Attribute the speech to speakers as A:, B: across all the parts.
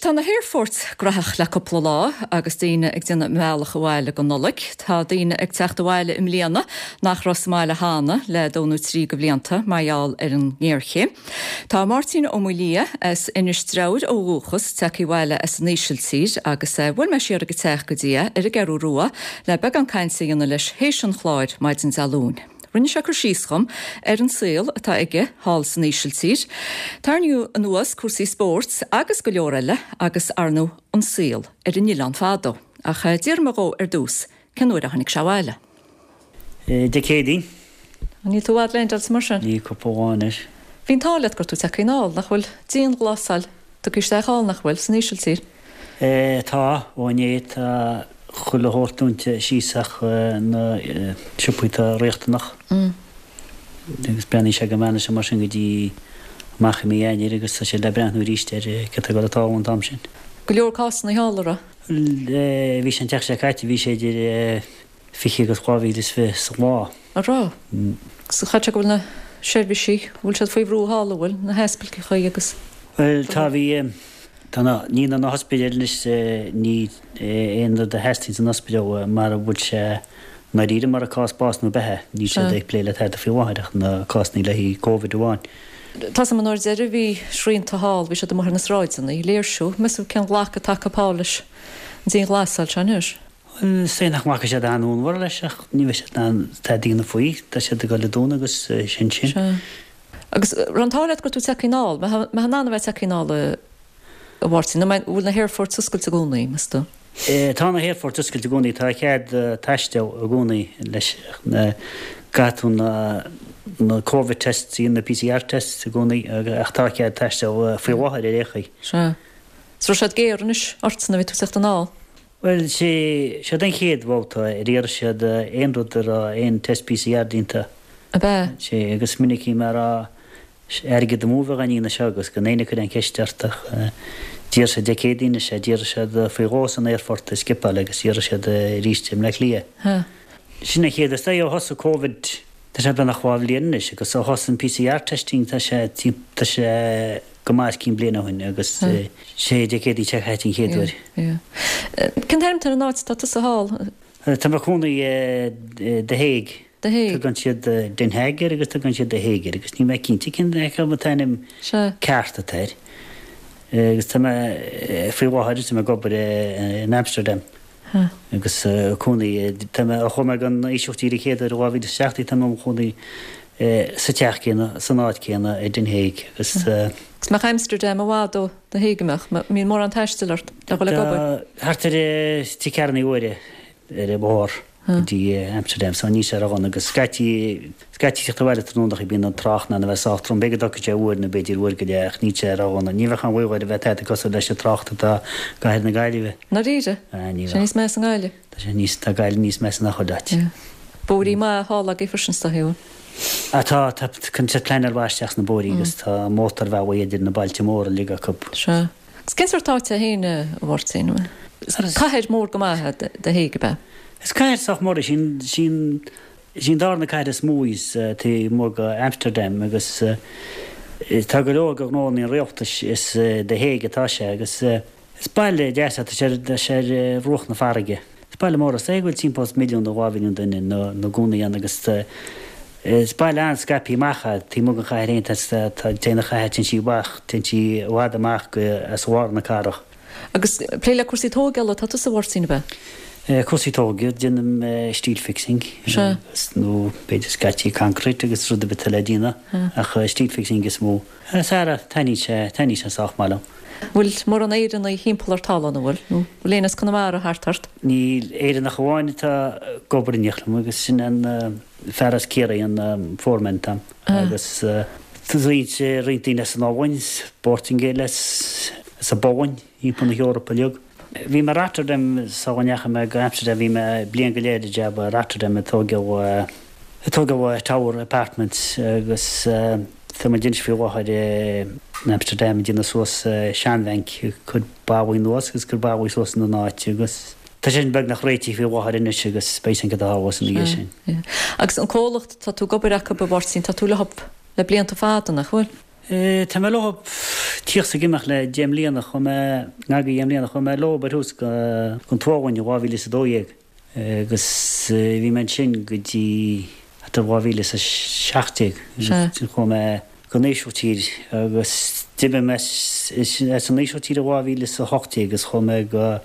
A: tá na haerfoirt graitheach le cúpla lá agus daoine ag déanamh a mbealach abhaile don Nollaig. Tá daoine ag teacht abhaile i mbliana nach raibh sa mbaile cheana le dó nó trí de bhlianta mar gheall ar an ngéarchéim. Tá Máirtín Ó Maolaodha as Inis Treabhair ó dhúchas tagtha abhaile as an Ísiltír agus bhuail mé siar ag an teach go dtí é ar an gCeathrú Rua le beagán cainte a dhéanamh leis théis an chláir maidin Dé Luain. Rinne sé cur síos dhom ar an saol atá aige thall san Ísiltír, tarraingíodh anuas cúrsaí spóirt agus go leor eile agus ar ndóigh an saol ar an oileán fadó. Ach d'fhiafraigh mé dhó ar dtús cén uair a tháinig sé abhaile.
B: Dé Céadaoin.
A: Níl tú i bhfad leaindeáilte mar sin?
B: Níl, cúpla lá anois.
A: Bhí an t-ádh leat go raibh tú tagtha anall, nach bhfuil dianghlasáil tugtha isteach thall, nach bhfuil, san Ísiltír?
B: Tá, ó inné tá chuile shórt dúnta síos ach na siopaí atá riachtanach. Agus breathnaíonn sé go mbeidh sé mar sin go dtí amach i mí Eanáir agus tá siad le breathnú arís ar céard atá ag dul a tarlú an t-am sin.
A: Go leor cásanna thall, an raibh?
B: Bhuel, bhí sé an tseachtain seo caite, bhí sé idir 20 agus 2020 sa lá.
A: An raibh? Agus chaithfeadh sé go bhfuil na seirbhísí, bhfuil siad faoi bhrú thall, an bhfuil, na hospidéilchaí agus.
B: Bhuel, tá, bhí, tá na, ní na hospidéil anois, ní aon rud a theastaíonn san ospidéal mara bhfuil sé i ndáiríre mar cás bás nó beatha, níl siad ag plé le tada faoi láthair ach na cásanna le haghaidh Covid amháin.
A: Tá 's agam an uair deiridh bhí srianta thall, bhí siad amuigh ar na sráideanna ag léirsiú, meas tú cén ghlacadh atá acu thall leis an dianghlasáil seo anois?
B: Bhuel, is dóigh nach nglacfaidh siad an-fhonnmhar leis ach ní bheidh siad in ann tada a dhéanamh faoi. Tá siad ag dul a dúnadh agus sin sin.
A: Sea. Agus raibh an t-ádh leat go raibh tú tagtha anall. Mbeifeá in ann a bheith tagtha anall a Mháirtín? Nó an bhfuil na haerfoirt oscailte i gcónaí, meas tú?
B: Tá na haerfoirt oscailte i gcónaí. Tá cead taisteal i gcónaí leis. Caithfidh tú na na Covid tests, na PCR tests i gcónaí ach tá cead taisteal faoi láthair ar aon chaoi.
A: Sea. Is raibh siad géar anois ortsa nuair a bhí tú ag teacht anall?
B: Bhuel, sé, siod an chéad bhabhta ar iarr siad aon rud a raibh aon test PCR déanta.
A: Ab ea?
B: Sé, agus is minic a bhí mé a rá, airgead amú a bheadh á ndéanamh seo agus gan éinne ag cur aon cheist ort ach d'iarr siad Dé Céadaoin is ea d'iarr siad faoi dhó san aerfort i Schiphol agus d'iarr siad arís i mBleá Cliath.
A: Ha.
B: Sin an chéad, is dóigh ó thosaigh Covid, tá sé beagnach dhá bhliain anois agus ó thosaigh an PCR testing tá sé, tá sé, go maith os cionn bliain ó shin agus sé Dé Céadaoin seo caite an chéad uair.
A: Cén t-ainm atá ar an áit atá tusa thall?
B: Tá mé i mo chónaí i The Hague.
A: The Hague.
B: Tugann siad Den Haag air agus tugann siad The Hague air agus níl mé cinnte cén acu an t-ainm ceart atá air. Agus tá mé faoi láthair tá mé ag obair in Amsterdam. Agus cónaí, tá mé, ó chuaigh mé gon Ísiltír an chéad uair i 2017, tá mé i mo chónaí sa teach céanna, san áit céanna i Den Hague agus.
A: Agus mbeadh Amsterdam i bhfad ó The Hague, an mbeadh? Mbíonn mórán taistil ort le dhul ag obair?
B: Tá thart ar trí ceathrúna uaire ar an bhóthar go dtí Amsterdam so níl sé ródhona agus scaití, scaití teacht abhaile tráthnóna bíonn an trácht in ann a bheith sách trom, b'fhéidir go dtógfaidh sé uair nó b'fhéidir uair go leith ach níl sé ródhona. Ní bheadh aon bhaol air a bheith tada cosúil leis an trácht atá i gcathair na Gaillimhe.
A: ndáiríre?
B: Ah, ní
A: Sé níos measa i nGaillimh?
B: Tá sé níos, tá Gaillimh níos measa ná chuile áit.
A: Yeah. Bóithrí maithe thall agaibh freisin is dóigh, an bhfuil?
B: Ah, tá, tá, cuireann siad pleanáil mhaith isteach sna bóithrí agus tá mótarbhealaí idir na bailte móra uilig acu.
A: Sea. Agus cén sórt áit é féin, a Mháirtín? Is cathair mór go maith é The Hague, ab ea?
B: Is cathair sách mór í, sin, sin, Is í an darna cathair is mó í taobh amuigh de Amsterdam agus tá go leor de ghnóanna an rialtais is i The Hague atá sé agus is baile deas é, tá sé tá sé ar bhruach na farraige. Is baile mór é, is dóigh go bhfuil timpeall is milliún nó 2 mhilliún duine ina gcónaí ann agus is baile an-scaipthe amach é taobh amuigh den chathair féin tá tá téann an chathair téann sí amach téann sí i bhfad amach go as lár na cathrach.
A: Agus plé le cúrsaí tógála atá tusa, a Mháirtín, ab
B: ea? Cúrsaí tógála, déanaim steel fixing agus nó b'fhéidir scaití concrete agus rud ar bith atá le déanamh ach steel fixing is mó. Sara, taitníonn sé, taitníonn sé sách maith liom.
A: Bhfuil mórán Éireannaigh thimpeall ort thall ann, an bhfuil? Nó bhfuil éinne as Conamara thart ort?
B: Níl, Éireannach amháin atá ag obair in éineacht liom agus sin an fear as Ciarraí, an foreman atá agam agus tá roinnt, roinnt daoine as an Ollainn, bPortaingéil as, As an bPolainn, thimpeall na hEorpa uilig. Bhí mé i Rotterdam sula ndeachaigh mé go Amsterdam, bhí mé bliain go leith ar jab i Rotterdam ag tógáil ag tógáil tower apartments agus tá muid anois faoi láthair in Amsterdam ag déanamh suas seanbhanc, ag cur ballaí anuas agus ag cur ballaí suas ina n-áit agus tá sé sin beagnach réitithe faoi láthair anois agus beidh sin cad a tharlós ina dhiaidh sin.
A: Agus an comhlacht atá tú ag obair acu, a Mháirtín, tá tú leo le blianta fada, nach bhfuil?
B: Tá mé leo. Tíocht 's ag imeacht le 10 mbliana, chuaigh mé, ngar do dheich mbliana, chuaigh mé leob ar thús go an tSlóivéin i 2012 agus bhí mé ansin go dtí thart ar 2017 agus ansin chuaigh mé go an Ísiltír agus d'imigh mé as an Ísiltír i 2018 agus chuaigh mé go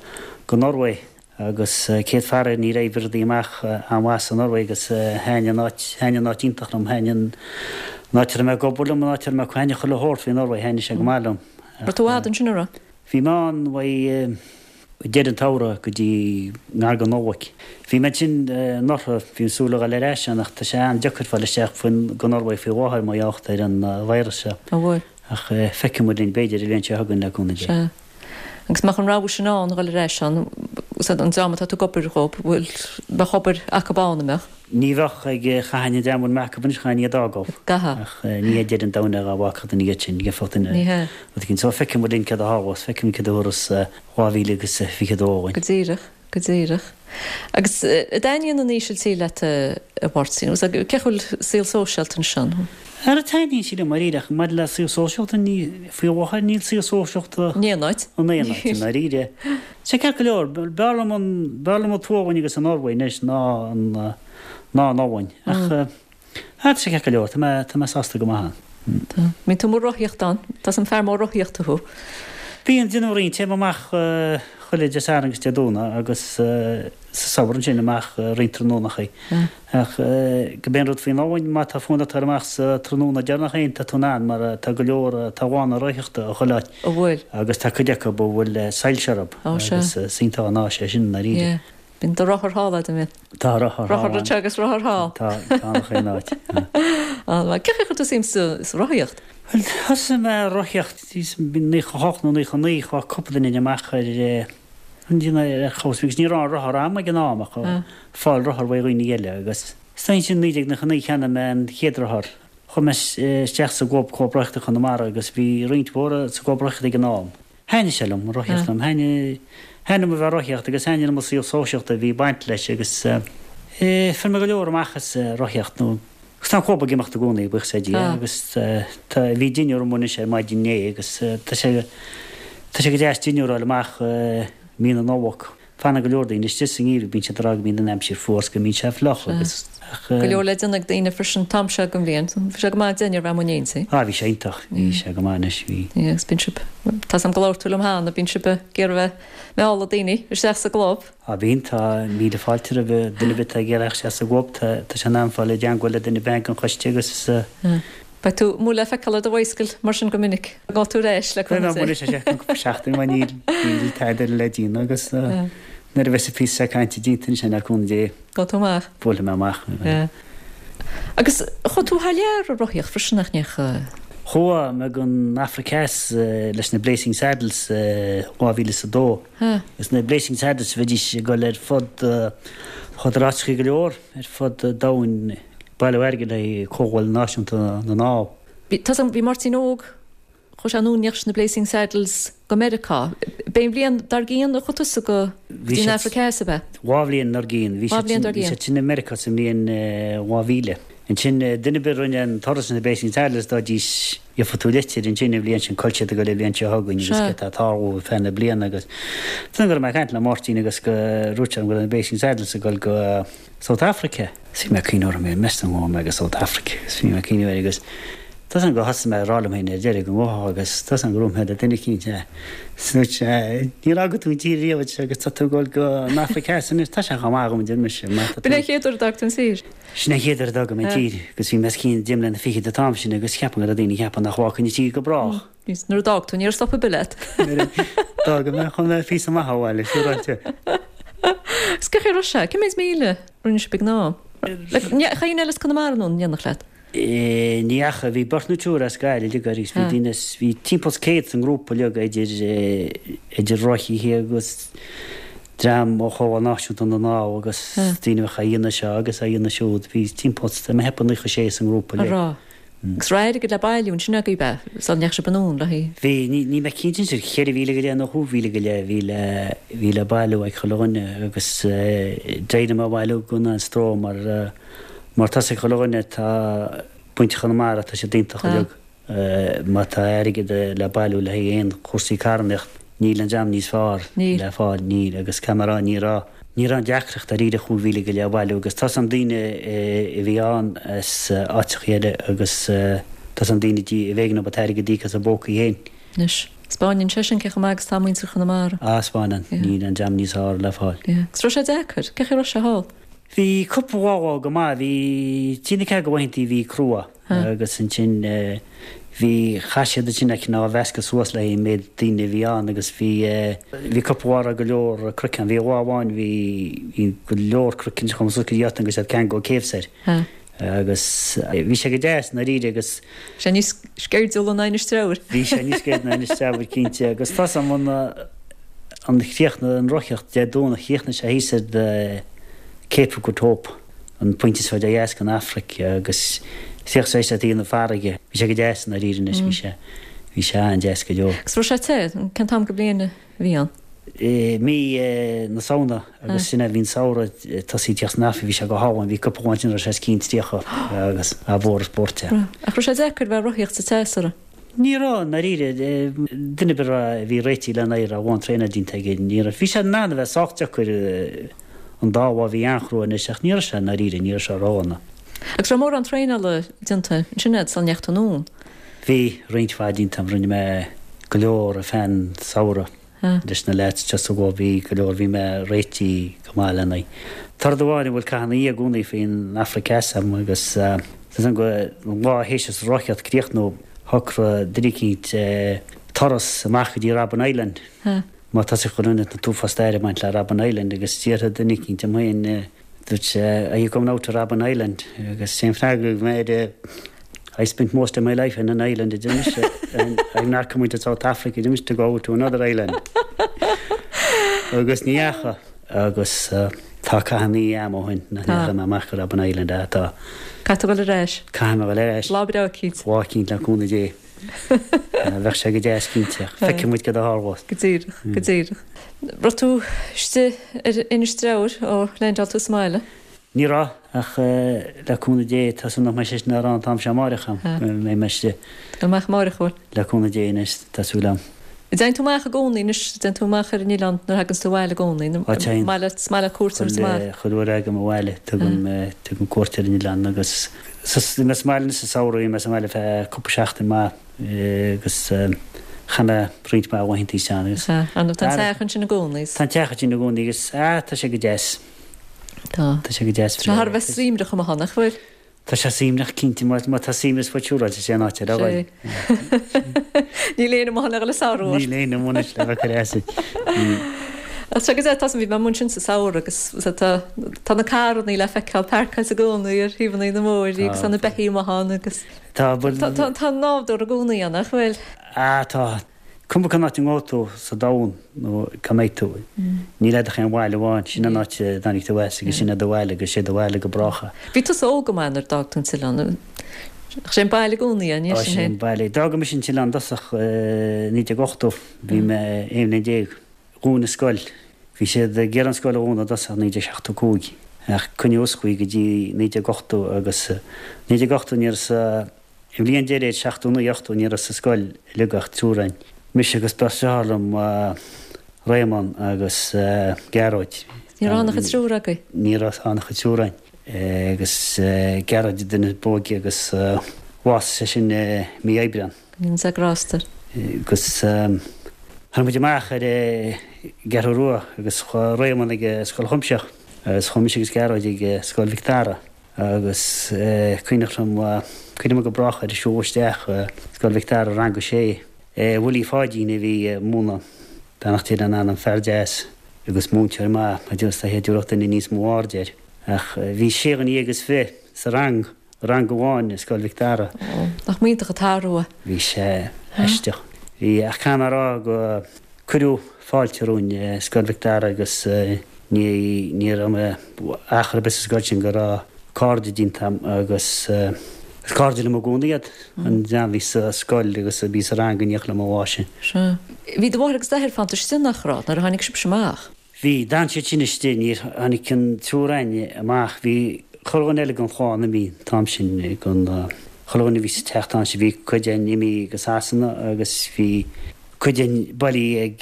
B: go Norway Agus céad faraor ní raibh rudaí amach an-mhaith sa Norway agus thaitnigh an áit, thaitnigh an áit iontach liom, thaitnigh an áit a raibh mé ag obair liom, an áit a raibh mé, thaitnigh chuile shórt faoi Norway, thaitnigh sé go maith liom.
A: Raibh tú i bhfad ansin, an raibh?
B: Bhí mé ann uaidh deireadh an tsamhraidh go dtí ngar don Nollaig. Bhí mé ansin anuraidh, bhí mé ag súil a dhul ar ais ann ach tá sé an-deacair fáil isteach faoin, go Norway faoi láthair mar gheall ar an virus seo.
A: An bhfuil?
B: Ach feicfidh muid linn, b'fhéidir, an bhliain seo chugainn le cúnamh Dé.
A: Sea. Agus mbeadh an rogha sin ann, a dhul ar ais ann, an dream atá tú ag obair dhób, bhfuil, bheadh obair acub ann, an mbeadh?
B: Ní bheadh ag, chaithfinn an dream a bhfuil mé acub anois, chaithfinn iad a fhágáil.
A: Gcaithfeá.
B: Ach ní hé deireadh an domhain é dhá bhfágfadh duine iad sin, gheofadh duine
A: Ní hea.
B: rud éicint. So feicfidh muid linn céard a tharlós, feicfidh muid céard a thabharfas 2022 dhúinn.
A: Go díreach. Go díreach. Agus an dtaitníonn an Ísiltír leat, a Mháirtín? Cén chaoi a bhfuil saol sóisialta ansin?
B: Ara taitníonn sí liom dáiríre ach maidir le saol sóisialta ní, faoi láthair níl saol sóisialta
A: In aon áit.
B: in aon áit i ndáiríre. Sé ceart go leor, b'fhearr liom an, b'fhearr liom an tSlóivéin agus an Norway anois ná an, ná an Albain. Ach ah tá sé ceart go leor, tá mé, tá mé sásta go maith
A: ann. Tá. Bíonn tú amuigh ag rothaíocht ann. Tá 's a'm fear mór rothaíochta thú.
B: Bíonn, déanaim roinnt, téim amach chuile Dé Sathairn agus Dé Domhnaigh agus sa samhradh ansin amach roinnt tráthnónachaí. Ach gurb é an rud faoin Albain, má tá fonn ort dul amach sa tráthnóna deireanach féin, tá tú in ann mar tá go leor, tá lána rothaíochta i chuile áit.
A: An bhfuil?
B: Agus tá cuid acu a bhfuil soilse orthu agus is iontach an áis é sin i ndáiríre.
A: Yeah. Bíonn do rothar thall a'd, an mbíonn?
B: Tá rothar
A: thall. Rothar anseo agus rothar thall.
B: Tá, tá in chaon áit.
A: An-mhaith. Cén chaoi ar chuir tú suim sa rothaíocht?
B: Bhuel, thosaigh mé ag rothaíocht i 98 nó 99, chuaigh cúpla duine amach ar an duine ar chomhshaol agus ní raibh aon rothar a'm ag an am ach fáil rothar uaidh dhaoine eile agus is dóigh ansin 1999 cheannaigh mé an chéad rothar. Chuaigh mé isteach sa gclub, Club Rothaíochta Chonamara agus bhí roinnt mhór sa gclub rothaíochta ag an am. Thaitnigh sé liom, an rothaíocht liom. Thaitnigh, thaitnigh liom a bheith ag rothaíocht agus thaitnigh liom an saol sóisialta a bhí ag baint leis agus eh fuair mé go leor amach as rothaíocht nó agus tá an club ag imeacht i gcónaí, buíochas le Dia, agus tá, bhí dinnéar amuigh anois ar maidin inné agus tá sé, tá sé go deas dinnéar a fháil amach mí na Nollag. Fanann go leor daoine istigh sa ngeimhreadh, bíonn siad ag rá go mbíonn an aimsir fuar 's go mbíonn sé fliuch agus
A: ach. Go leor le déanamh ag daoine freisin an t-am seo den bhliain. Bhí sé go maith an dinnéar a bheith amuigh in éindí.
B: Ah bhí sé iontach, bhí sé go maith anois, bhí.
A: Yeah agus bíonn sibh, tá 's a'm gur labhair tú liom cheana, bíonn sibh ag iarraidh a bheith ag mealladh daoine isteach sa gclub.
B: Ah bíonn, tá míle fáilte roimh duine ar bith atá ag iarraidh theacht isteach sa gclub, tá tá sé in am fáil i dteangmháil le duine ar bith ag an choiste agus.
A: Beidh tú amuigh le feiceáil ar do bhicycle mar sin go minic. An ngabhfaidh tú ar ais le
B: cúnamh Dé. Beidh mé amuigh cúpla seachtain mar níl níl tada eile le déanamh agus nuair a bheas an píosa seo cainte déanta ansin le cúnamh Dé.
A: Gabhfaidh tú amach.
B: Buailfidh mé amach.
A: Agus chuaigh tú thar lear ag rothaíocht freisin nach ndeachaigh?
B: Chuaigh mé go an Afraic Theas leis na Blazing Saddles i 2002. Agus na Blazing Saddles bhídís ag dul ar fud chuadar áiteachaí go leor ar fud domhain. Bailiú airgid le haghaidh Comhdháil Náisiúnta na nDall.
A: Bhí, tá 's a'm, bhí Máirtín Óg, chuaigh sé anonn in éineacht leis na Blazing Saddles go Meiriceá. B'é an bhliain dár gcionn a chuaigh tusa go dtí an Afraic Theas, ab
B: ea? Dhá bhliain dár gcionn. Bhí siad sin, bhí siad sin i Meiriceá sa mbliain 2000. Ansin, duine ar bith a rinne an turas leis na Blazing Saddles, d'fhaighidís, gheobhadh tú litir ansin an bhliain sin, cá bhfuil siad ag dul an bhliain seo chugainn agus céard atá ag tarlú ar feadh na bliana agus tá go raibh mé ag caint le Máirtín agus go ndúirt sé liom go raibh na Blazing Saddles ag dul go South Africa. Bhí mé ag cuimhneamh orm féin, meas tú an ngabhfaidh mé go South Africa agus bhí mé ag cuimhneamh air agus tá 's a'm gur thosaigh mé ag rá liom féin ar deireadh go ngabhfadh agus tá 's a'm gur dhúirt mé le duine eicínt é. Is dúirt sé, níor fhága tú an tír riamh a deir sé agus tá tú ag dul go an Afraic Theas anois, tá sé chomh maith agam a deir mise, má
A: tá tú. B'in é an chéad uair a d'fhág tú an tír?
B: Sin é an chéad uair a d'fhág mé an tír agus bhí mé os cionn deich mbliana fichead an t-am sin agus cheapfainn go raibh daoine ag ceapadh nach bhfágfainn an tír go brách.
A: Nuair a d'fhág tú, ní raibh stop ar bith leat.
B: Nuair a d'fhág mé, chuaigh mé píosa maith ó bhaile, siúráilte.
A: Agus cén chaoi a raibh sé? Cé méid míle a rinne sibh ag an am? Ndeachaigh éinne eile as Conamara anonn in éineacht leat?
B: Ní dheachaigh. Bhí beirt nó triúr as Gaillimh uilig agus bhí daoine as, bhí timpeall is 100 sa ngrúpa uilig idir, idir rothaithe agus dream ó Chomhdháil Náisiúnta na nDall agus daoine a bheadh á dhéanamh seo agus á dhéanamh siúd. Bhí timpeall is, tá mé ag ceapadh 96 sa ngrúpa
A: uilig. An raibh? Agus raibh airgead le bailiú ansin agaibh, ab ea, sula ndeachaigh sibh anonn le haghaidh.
B: Bhí, níl mé cinnte anois, 4,000 go leith nó 5,000 go leith a bhí le, bhí le bailiú ag chuile dhuine agus d'éirigh mé a bhailiú gan aon stró mar, mar tá 's ag chuile dhuine tá baint Chonamara, tá siad iontach uilig. Má tá airgead le bailiú le haghaidh aon chúrsaí carthanacht, níl an dream níos fearr le fáil, níl. Agus caithfidh mé a rá, ní raibh, ní raibh aon deacracht dáiríre 5,000 go leith a bhailiú agus tá's a'm daoine a bhí ann as áiteachaí eile agus tá's a'm daoine a b'éigean dóibh an t-airgead a íoc as a bpócaí féin.
A: Anois, 'spáineann sé sin cé chomh maith agus atá muintir Chonamara.
B: Ah, 'spáineann. Níl an dream níos fearr le fáil.
A: Yeah. Agus raibh sé deacair? Cén chaoi a raibh sé thall?
B: Bhí cúpla lá go maith, bhí trí nó ceathair de laethantaí a bhí crua. Agus ansin bhí, chaith siad ansin a cineál mheascadh suas le haghaidh an méid daoine a bhí ann agus bhí, bhí cúpla lá a raibh go leor cnoic ann. Bhí lá amháin bhí, bhí go leor cnoic ansin chomh suas go dtí áit agus iad ceangal caves air. Agus bhí sé go deas i ndáiríre agus.
A: Sé níos sceirdiúla ná Inis Treabhair.
B: Bhí sé níos sceirdiúla ná Inis Treabhair cinnte agus tá's a'm an, an chríochnaigh an rothaíocht Dé Domhnaigh chríochnaigh sé thíos ar the Cape of Good Hope. an pointe is faide ó dheas den Afraic agus chríochnaigh sé ar taobh na farraige. Bhí sé go deas i ndáiríre anois, bhí sé, bhí sé an-deas go deo.
A: Agus raibh sé te? Cén t-am go bliain a bhí ann?
B: Mí na Samhna agus sin é, bhí an samhradh ag tosaí ag teacht san Afraic, bhí sé go hálainn, bhí cúpla lá ansin a raibh sé os cionn 30 agus a mhór is spórt é.
A: Ach raibh sé deacair bheith ag rothaíocht sa teas, an raibh?
B: Ní raibh, i ndáiríre. Duine ar bith a bhí réitithe lena aghaidh, a raibh a lán traenáil déanta aige, ní raibh. Bhí sé in ann a bheith sách deacair an dá lá a bhí an-chrua anois ach ní raibh sé i ndáiríre, ní raibh sé ródhona.
A: Agus raibh mórán traenála déanta ansin agat sula ndeachaigh tú anonn?
B: Bhí, roinnt mhaith déanta agam. Rinne mé go leor ar feadh an samhradh. Leis na leaids just go bhí go leor, bhí mé réitithe go maith lena aghaidh. Tá rud amháin a bhfuil cath ina dhiaidh i gcónaí faoin Afraic Theas agam agus tá go an lá théis an rothaíocht críochnú shocraigh duine eicínt turas amach go dtí Robben Island. Má tá sé chun an t-uafás staire ag baint le Robben Island agus d'fhiafraigh duine eicínt díom féin Dúirt sé, Are you coming out to Robben Island? Agus sé an freagra a thug mé air, I spent most of my life in an island, a deir mise, and I'm not coming to South Africa, a deir mise, to go to another island. Agus ní dheachaigh. Agus tá cath ina dhiaidh a'm ó shin, nach ndeachaigh mé amach go Robben Island, ah tá.
A: Caithfidh tú dul ar ais.
B: Caithfidh mé dul ar ais.
A: Lá breá eicínt.
B: Lá eicínt le cúnamh Dé. Bheadh sé go deas cinnte. Feicfidh muid cad a tharlós.
A: Go díreach, go díreach. Raibh tú istigh ar Inis Treabhair ó leaindeáil tú sa mbaile?
B: Ní raibh, ach le cúnamh Dé tá súil nach mbeidh sé sin á rá an t-am seo amáireach agam, go mbeidh mé istigh.
A: Dul amach amáireach, an bhfuil?
B: Le cúnamh Dé anois, tá súil agam.
A: Dtéann tú amach i gcónaí anois, dtéann tú amach ar an oileán nuair a thaganns tú abhaile i gcónaí?
B: Á téann.
A: Maith leat, is maith leat cuairt a thabhairt
B: amach? Chuile uair a thagaim abhaile, tugaim, tugaim cuairt ar an oileán agus. Bhí mé sa mbaile sa samhradh, bhí mé sa mbaile feadh cúpla seachtain maith agus chaith mé roinnt mhaith laethanta istigh ann agus.
A: Tá an teach ansin i gcónaí.
B: Tá an teach ansin i gcónaí agus ah tá sé go deas.
A: Tá.
B: Tá sé go deas.
A: Tá sé thar a bheith suaimhneach amuigh ann, nach bhfuil?
B: Tá sé suaimhneach cinnte, má tá suaimhneas fút siúráilte is é an áit ar aghaidh.
A: Níl éinne amuigh ann le dhul ag sárú
B: ort. Níl éinne amuigh anois le bheith ag cur as duit.
A: Ach tá go deas, tá bhí mé amuigh ansin sa samhradh agus tá tá na carrannaí le feiceáil páirceáilte i gcónaí ar thaobhanna na mbóithrí agus tá na beithígh amuigh ann agus
B: Tá bhuel
A: tá tá tá nádúr i gcónaí ann, nach bhfuil?
B: Ah tá. Cuma cén áit a ngabhfaidh tú sa domhan nó cá mbeidh tú, níl agat ach aon bhaile amháin, sin an áit a dtáinig tú as agus sin é do bhaile agus sé do bhaile go brách é.
A: Bhí tusa óg go maith nuair a d'fhág tú an t-oileán. Ach sé an baile i gcónaí é, ní
B: sin
A: Sé
B: an baile. D'fhág mise an t-oileán i dtosach i 1980, bhí mé 11 bliain. Dhún an scoil. Bhí siad ag iarraidh an scoil a dhúnadh i dtosach i 1975 ach coinníodh oscailte í go dtí 1980 agus 1980 ní raibh sa An bhliain deiridh, 79, 80, ní raibh sa scoil uilig ach triúr againn, mise agus beirt deartháir liom, Réamonn agus Gearóid.
A: Ní raibh ann ach an triúr agaibh?
B: Ní raibh ann ach an triúr againn. Agus Gearóid an duine ab óige agus bhásaigh sé sin i mí Aibreán.
A: Go ndéana Dia grásta air.
B: Agus tháinig muid amach ar an gCeathrú Rua agus chuaigh Réamonn ag Scoil Chuimsitheach agus chuaigh mise agus Gearóid ag Scoil Mhic Dara. Agus cuimhneach liom, cuimhním go brách ar siúl isteach Scoil Mhic Dara, rang a sé. Willie Pháidín a bhí ag múineadh, beannacht Dé lena anam, fear deas agus múinteoir maith, a deir is dóiche thabharfadh duine níos mó airde air. Ach bhí sé dhuine dhéag is fiche sa rang, rang amháin i Scoil Mhic Dara.
A: Nach mb'iontach an t-athrú é.
B: Bhí sé aisteach. Bhí, ach caithfidh mé a rá go cuireadh fáilte romhainn i Scoil Mhic Dara agus ní, ní raibh mé achar ar bith sa scoil sin go raibh cairde déanta agam agus is cairde liom i gcónaí iad, an dream a bhí sa scoil agus a bhí sa rang in éineacht liom an lá sin.
A: Sea. Bhí do mháthair agus d'athair fanta istigh, nach raibh, nuair a tháinig sibhse amach?
B: Bhí, d'fhan siad sin istigh, níor tháinig an triúr againne amach, bhí corrdhuine eile den chlann imithe an t-am sin, den. Chuile dhuine a bhí sa teach an t-am sin, bhí cuid againn imithe go Sasana agus bhí cuid againn bailithe ag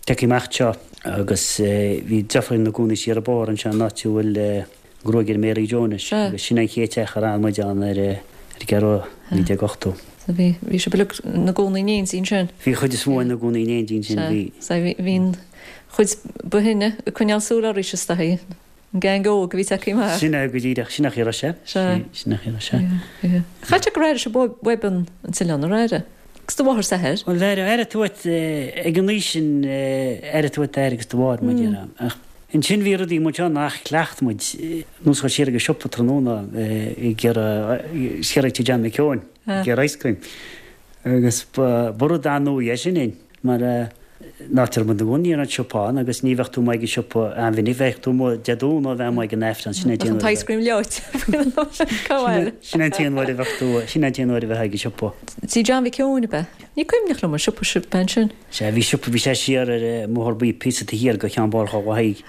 B: tagtha amach anseo agus bhí deirfiúr ina gcónaí siar an bóthar anseo an áit a bhfuil gruagaire Mary Joe anois agus sin an chéad teach ar fhan muid ann ar an gCeathrú Rua, 1980.
A: So bhí, bhí sibh uilig ina gcónaí in éindí ansin?
B: Bhí an chuid is mó ina gcónaí in éindí ansin, bhí.
A: Sea, bhí, bhí an chuid ba shine ag coinneáil súil oraibhse is dóigh, an gang óg a bhí tagtha amach.
B: Sin é go díreach, sin é an chaoi a raibh sé.
A: Sea.
B: Sin é an chaoi a raibh sé.
A: Yeah, yeah. Chaith sé go raibh sibh uaibh an t-oileán, an raibh? Agus do mháthair 's athair?
B: Bhuel, airigh tú uait, ag an aois sin, airigh tú uait d'athair agus do mháthair, mar a déarfá. Ach ansin bhí rudaí muid ann nach chleacht muid, nós dhul siar ag an siopa tráthnóna ag iarraidh, siar ag tigh John McKeown, ag iarraidh ice cream. Agus ba rud an-nua é sin dúinn, mar an áit a raibh muid ina gcónaí ní raibh an siopa ann agus ní bheadh tú amuigh ag an siopa an-mhinic, bheadh tú amuigh Dé Domhnaigh a bheith amuigh ag an Aifreann, sin é an
A: t-aon uair. Bheadh an t-ice cream leoite faoin am sin, cá bhfuil?
B: Sin é an t-aon uair a bheadh tú, sin é an t-aon uair a bheifeá ag an siopa.
A: Tigh John Mhic Eoin ab ea? Ní cuimhneach liom an siopa sin ab ea ansin.
B: Sea, bhí siopa, bhí sé siar ar an mBóthar Buí píosa taobh thiar de Cheann Bharr Mhaigh.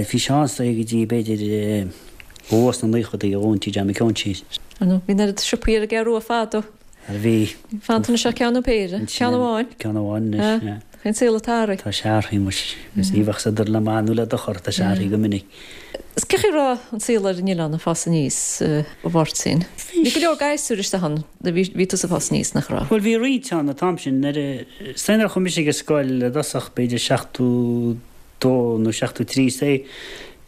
B: Bhí sé ann is dóigh go dtí b'fhéidir go luath sna naochadaí a dhún Tigh John Mhic Eoin síos.
A: Ar ndóigh, bhí an oiread siopaí ar an gCeathrú Rua fadó.
B: Bhí.
A: Fanta anois ach ceann nó péire. Ceann amháin.
B: Ceann amháin anois, yeah.
A: Tá an saol ag athrú.
B: Tá sé athraithe muis. Agus ní bheadh sa dur le maith nó le dochar, tá sé athraithe go minic.
A: Is cén chaoi a raibh an saol ar an oileán ag fás aníos, a Mháirtín? Bhí go leor gasúir istigh ann nuair a bhí tusa ag fás aníos, nach raibh?
B: Bhuel, bhí roinnt ann an t-am sin. Nuair a, is dóigh nuair a chuaigh mise ag an scoil i dtosach, b'fhéidir 72 nó 73, is dóigh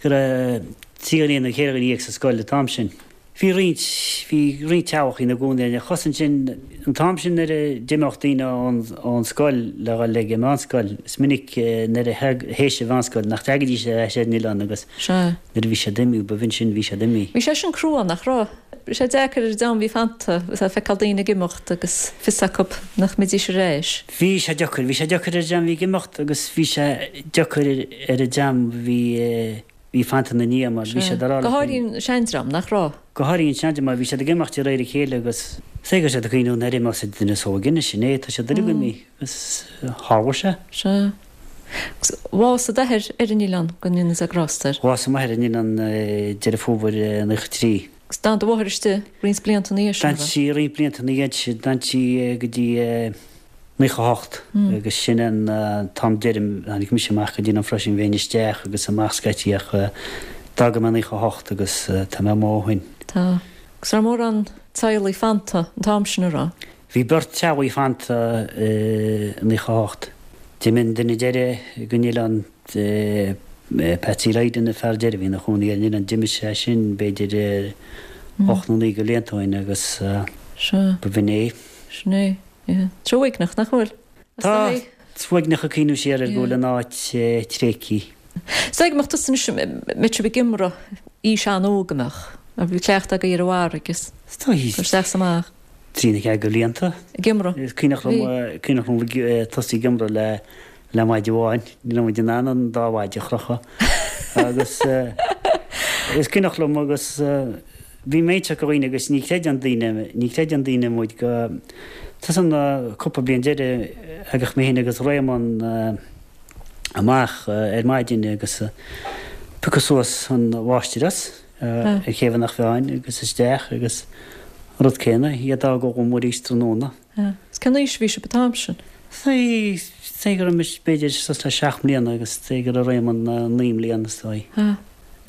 B: go raibh 13 dhuine nó 14 dhuine sa scoil an t-am sin. Bhí roinnt, bhí roinnt teaghlach ina gcónaí ar an chos ansin, an t-am sin nuair a d'imeodh daoine ón, ón scoil le dhul ag an mheánscoil, is minic nuair a théis an mheánscoil nach dteagaidís ar ais ar an oileán agus
A: Sea.
B: nuair a bhí siad imithe, ba bh'in sin, bhí siad imithe.
A: Bhí sé sin crua, nach raibh? Bhí sé deacair ar an dream a bhí fanta, a feiceáil daoine ag imeacht agus fios acu nach mbeidís ar ais.
B: Bhí sé deacair, bhí sé deacair ar an dream a bhí ag imeacht agus bhí sé deacair ar an dream a bhí, Bhí fanta ina ndiaidh mar bhí siad ag rá
A: Go háirithe an seandream, nach raibh?
B: Go háirithe an seandream mar bhí siad ag imeacht de réir a chéile agus is é go raibh siad ag cuimhneamh nuair a imeos an duine is óige anois, sin é, tá siad uilig imithe agus tharla
A: sé. Sea. Agus bhásaigh d'athair ar an oileán, go ndéana Dia grásta air.
B: Bhásaigh m'athair ar an oileán Deireadh Fómhair 93.
A: Agus d'fhan do mháthair istigh roinnt blianta ina dhiaidh
B: sin, an raibh? D'fhan sí roinnt blianta ina dhiaidh sin, d'fhan sí go dtí 98 agus sin an t-am deiridh, tháinig mise amach go dtí an freisin, bheinn isteach agus amach scaití ach d'fhága mé 98 agus tá mé amuigh ó shin.
A: Tá. Agus raibh mórán teaghlaigh fanta an t-am sin, an raibh?
B: Bhí beirt teaghlaigh fanta i 98. D'imigh an duine deiridh den oileán, Patsy Lydon, an fear deiridh a bhí ina chónaí ar an oileán, d'imigh sé sin b'fhéidir 8 nó 9 de bhlianta ó shin agus b'in é.
A: Sin é. Yeah. Tá sé uaigneach, nach bhfuil?
B: Tá. Is uaigneach ag cuimhneamh siar air go bhfuil an áit tréigthe.
A: Is dóigh go mbeadh tusa anois, mbeadh sibh ag iomramh aois an-óg an mbeadh? Mar bhí cleachtadh agaibh ar an bhfarraige is
B: Is dóigh.
A: cur isteach is amach.
B: Trí nó ceathair de bhlianta.
A: Ag iomramh.
B: Is cuimhneach liom, cuimhneach liom ag tosaí ag iomramh le le maide amháin. Ní raibh muid in ann an dá mhaide a chrochadh. Agus is cuimhneach liom agus bhí mé ag inse do dhaoine agus ní chreideann daoine, ní chreideann daoine muid go, tá san cúpla bliain deiridh thagadh mé féin agus Réamonn amach ar maidin agus piocadh suas an mháistreás ar Ché Bheannach Mheáin agus isteach agus an rud céanna, iad a fhágáil amuigh arís tráthnóna.
A: Is cén aois a bhí sibh an t-am sin?
B: Is dóigh go raibh mise b'fhéidir suas le seacht mbliana agus is dóigh go raibh Réamonn 9 mbliana is
A: dóigh.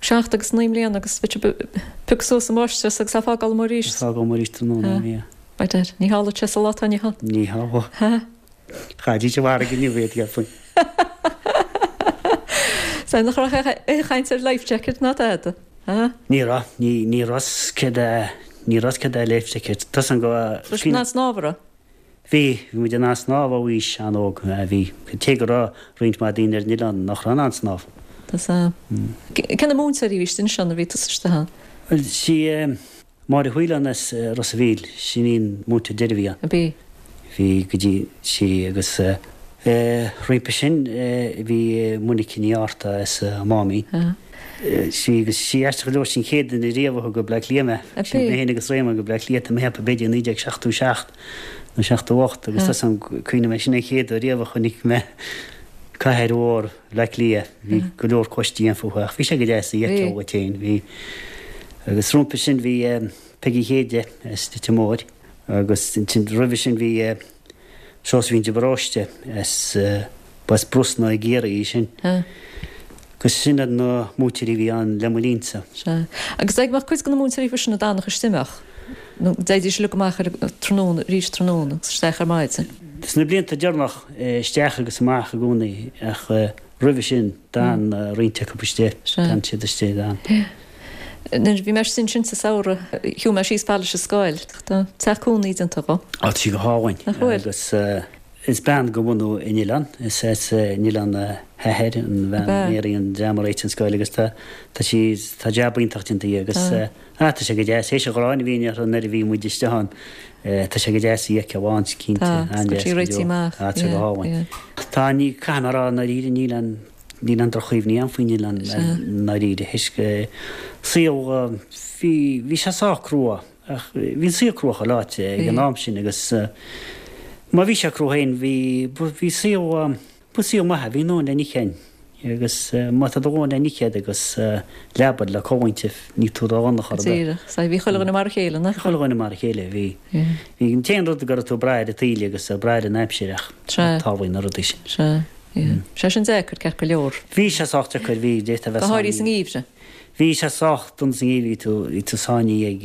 A: Seacht agus 9 mbliana agus bhí sibh ag piocadh suas an mháistreás agus á fágáil amuigh arís.
B: Á fágáil amuigh arís tráthnóna, bhí.
A: By dad, ní tharlódh sé sa lá atá inniu ann.
B: Ní tharlódh. Chaithfidís i bhfarraige inniu iad, dhéarfainn.
A: Sea, nach raibh aon chaint ar life jacket ná tada?
B: Ní raibh, ní, ní raibh 's céard é, ní raibh 's céard é life jacket. Tá 's agam go.
A: Raibh sibh in ann snámh, an raibh?
B: Bhí, bhí muid in ann snámh ó aois an-óg, bhí. Cé go raibh roinnt mhaith daoine ar an oileán nach raibh in ann snámh.
A: Tá 's agam. Cé na múinteoirí a bhí istigh ansin nuair a bhí tusa istigh ann?
B: Bhuel, sí Máire Whelan as Ros a' Mhíl, sin í an múinteoir deiridh a bhí ann.
A: A bhí.
B: Bhí go dtí sí agus roimpi sin bhí Monica Ní Fhátharta as an Máimín. Sí agus sí aisteach go leor sí an chéad duine riamh a thug go Bleá Cliath mé.
A: A bhí.
B: Mé féin agus Réamonn go Bleá Cliath tá mé ag ceapadh b'fhéidir 1977 nó 78 agus tá 's agam cuimhním é sin an chéad uair riamh a chonaic mé cathair mhór Bhleá Cliath. Bhí go leor cóistí ann fúthu ach bhí sé go deas a fheiceáil dhuit féin. Bhí. Agus roimpi sin bhí. Peigí Chéide as Leitir Móir agus ansin roimhe sin bhí Seosaimhín de Paróiste as ba as Brosna i gCiarraí í sin. Agus sin iad na múinteoirí a bhí ann le mo linnsa.
A: Sea. Agus an mbeadh cuid de na múinteoirí freisin a d'fhanadh istigh, an mbeadh? Nó dtéidís uilig amach ar an tráthnóna, arís tráthnóna agus isteach ar maidin?
B: Sna blianta deireanach, isteach agus amach i gcónaí ach roimhe sin d'fhan roinnt acu istigh, d'fhan siad istigh, d'fhan.
A: Nuair a bhí mé istigh ansin sa samhradh, shiúil mé síos fad leis an scoil. Tá teach cónaí déanta
B: dhó. Tá sí go hálainn.
A: Nach bhfuil?
B: Agus is bean de bhunadh an oileáin, is as an oileán a hathair, an bhean Mary an dream a réitigh an scoil agus tá tá sí tá jab iontach déanta aici agus ah tá sé go deas, théis an ghráin a bhí uirthi nuair a bhí muid istigh ann, tá sé go deas í a fheiceáil ann cinnte,
A: an-deas go deo.
B: Tá sé go hálainn. Tá ní caithfidh mé a rá i ndáiríre níl aon Níl aon droch-chuimhní agam faoin oileán i ndáiríre, thoisc saol, bhí, bhí sé sách crua, ach bhí an saol crua chuile áit ag an am sin agus má bhí sé crua féin, bhí, bhí saol, ba saol maith é, bhí a ndóthain le n-ithe againn agus má tá do dhóthain le n-ithe agat agus leaba le codladh inti, níl tú ródhona chor ar
A: bith. Díreach, sea, bhí chuile dhuine mar a chéile,
B: nach raibh? Bhí chuile dhuine mar a chéile, bhí. Bhí an t-aon rud go raibh tú ag brath ar an taoille agus ag brath ar an aimsir ach tarlaíonn na rudaí
A: sin. Sea. Sé sin deacair, ceart go leor.
B: Bhí sé sách deacair, bhí, d'fhéadfá a bheith
A: Go háirithe sa ngeimhreadh.
B: Bhí sé sách dona sa ngeimhreadh, bhí tú, bhí tú sáinnithe ag,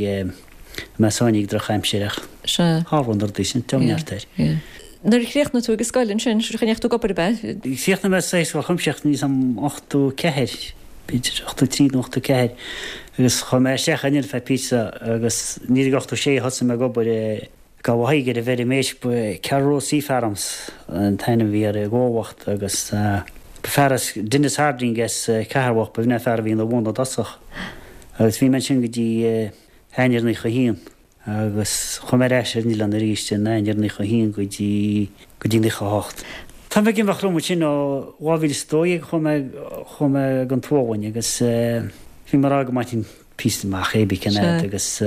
B: mé sáinnithe ag drochaimsir ach
A: Sea.
B: tharla na rudaí sin,
A: neart air. Yeah. Nuair a chríochnaigh tú ag an scoil ansin, ndeachaigh tú ag obair ab
B: ea? Chríochnaigh mé sa Scoil Chuimsitheach níl a fhios agam 84, b'fhéidir 83 nó 84 agus chuaigh mé isteach ansin ar feadh píosa agus 1986 a thosaigh mé ag obair i Gabh aghaidh ar an bhfeirm éisc, ba Carrow Sea Farms an t-ainm a bhí ar an gcomhlacht agus ba fear as, Denis Harding as Ceatharlach, ba bh'in an fear a bhí ina bhun i dtosach agus bhí mé ansin go dtí Eanáir 91 agus chuaigh mé ar ais ar an oileán arís in Eanáir 91 go dtí, go dtí 98. Tá mé ag imeacht liom ansin ó 2012 chuaigh mé, chuaigh mé gon tSualainn agus bhí mé ag rá go mbainfinn píosa amach cibé cén fhad agus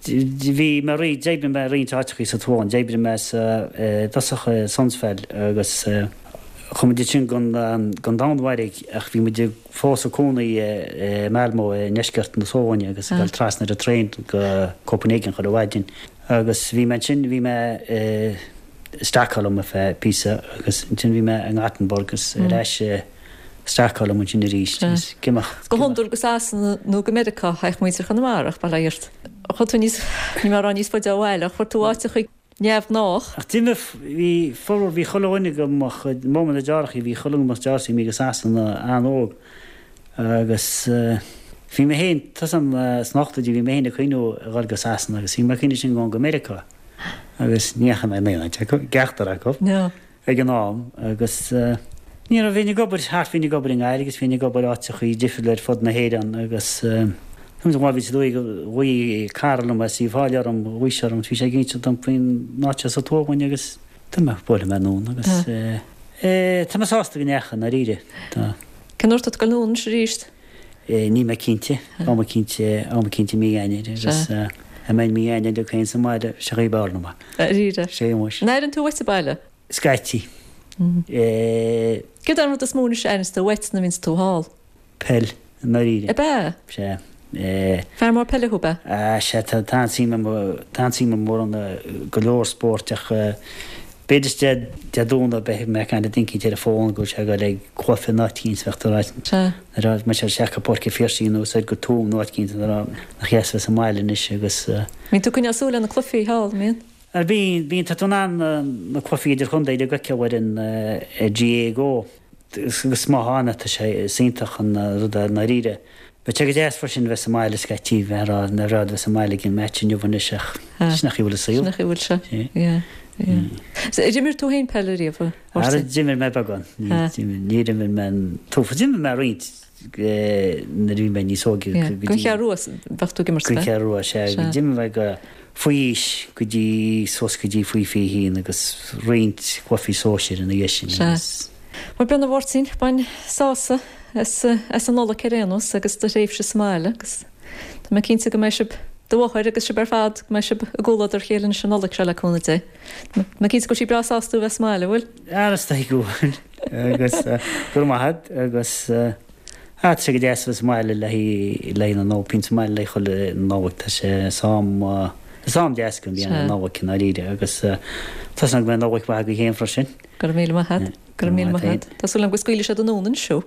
B: bhí mé roinnt, d'oibrigh mé roinnt áiteachaí sa tSualainn, d'oibrigh mé sa, i dtosach i Sundsvall agus chuaigh muid ansin gon, gon Danmhairg ach bhí muid fós ag cónaí i Malmö i ndeisceart na Sualainne agus ag dul trasna ar an traein go Copenhagen chuile mhaidin agus bhí mé ansin, bhí mé i Stockholm ar feadh píosa agus ansin bhí mé i nGothenburg agus ar ais i Stockholm ansin arís agus
A: ag imeacht. Go hiondúil go Sasana nó go Meiriceá a théadh muintir Chonamara ach bail ó Dhia ort. Chuaigh tú níos, níl mé ag rá níos faide ó bhaile ach fuair tú áiteachaí neamhghnách.
B: Ach d'imigh, bhí formhór, bhí chuile dhuine de mo chuid, mo na deartháireachaí, bhí chuile dhuine de mo deartháireachaí imithe go Sasana an-óg agus bhí mé féin, tá a fhios agam sna hochtóidí, bhí mé féin ag cuimhniú a dhul go Sasana agus bhí mé ag cuimhniú sin go Meiriceá agus ní dheachaigh mé in aon áit acu, ceachtar acu. ag an am agus ní raibh, bhínn ag obair thart, bhínn ag obair i nGaillimh agus bhínn ag obair áiteachaí difriúla ar fud na hÉireann agus 2012 ghlaoigh cara liom as Uíbh Fhailí orm, ghlaoigh sé orm, bhí sé ag inse dom faoin áit seo sa tSualainn agus tá mé, buailfidh mé anonn agus tá mé sásta go ndeachaigh, i ndáiríre,
A: tá. Cén uair atá tú ag dul anonn anois arís?
B: Níl mé cinnte, am eicínt, am eicínt i mí Eanáir agus dá mbeinn mí Eanáir liom féin sa mbaile, sé an chaoi ab fhearr liom
A: é. Dáiríre?
B: Sé
A: muis. An airíonn tú uait an baile?
B: Scaití.
A: Céard é an rud is mó anois a airíonns tú uait nuair a bhíonns tú thall?
B: Peil, i ndáiríre.
A: Ab ea?
B: Sea.
A: Fear mór peile thú, ab
B: ea? Ah, sea, tá an-suim agam, tá an-suim agam mórán i go leor spóirt ach B'fhéidir is Dé Domhnaigh beidh mé ag caint le duine eicínt ar an bhfón go bhfuil sé ag dul ag cluiche in áit eicínt bheadh tú ag ráit
A: Sea.
B: nuair a mbeidh sé isteach go Páirc an Phiarsaigh nó soir go Tuaim nó áit eicínt nuair a nach dheas a bheith sa mbaile anois agus.
A: Bíonn tú ag coinneáil súil ar na cluichí thall, an mbíonn?
B: Ar bíonn, bíonn, tá tú in ann na cluichí idirchontae uilig a fheiceáil ar an GAA Go agus má tá ann tá sé is iontach an rud é i ndáiríre. Bheadh sé go deas freisin a bheith sa mbaile scaití, bheith ag rá nár bhreá bheith sa mbaile ag an match inniu anois ach sin an chaoi a bhfuil an saol.
A: Sin an chaoi a bhfuil sé, yeah, yeah. Ar imir tú féin peil ariamh, a
B: Mháirtín? Ara d'imir mé beagán, níor imir mé an t-uafás, d'imir mé roinnt nuair a bhí mé níos óige
A: go dtí. Don Cheathrú Rua bheadh tú ag imirt,
B: Don Cheathrú Rua, sea, d'imir mé go faoi aois go dtí suas go dtí faoi 21 agus roinnt cluichí sóisir ina dhiaidh sin
A: agus. Bhuel b'in a Mháirtín, bain sásamh as an Nollaig ar aon nós agus do thréimhse sa mbaile agus tá mé cinnte go mbeidh sibh, do mháthair agus sibh ar fad, go mbeidh sibh i gcomhluadar a chéile anois an Nollaig seo le cúnamh Dé. Tá mé cinnte go bhfuil sí breá sásta tú a bheith sa mbaile, an bhfuil?
B: Ara is dóigh go bhfuil agus go raibh maith agat agus. Ah, tá sé go deas a bheith sa mbaile le haghaidh le haghaidh na Nollag, bíonn sa mbaile le haghaidh chuile Nollaig, tá sé is am is am deas go mbíonn an Nollaig i ndáiríre agus tá súil agam go mbeidh Nollaig mhaith agaibh féin freisin.
A: Go raibh míle maith agat. Go raibh míle maith agat. Tá súil agam go scaoilfidh siad anonn anois thú.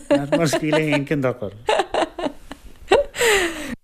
B: Mura scaoilfidh féin cén dochar.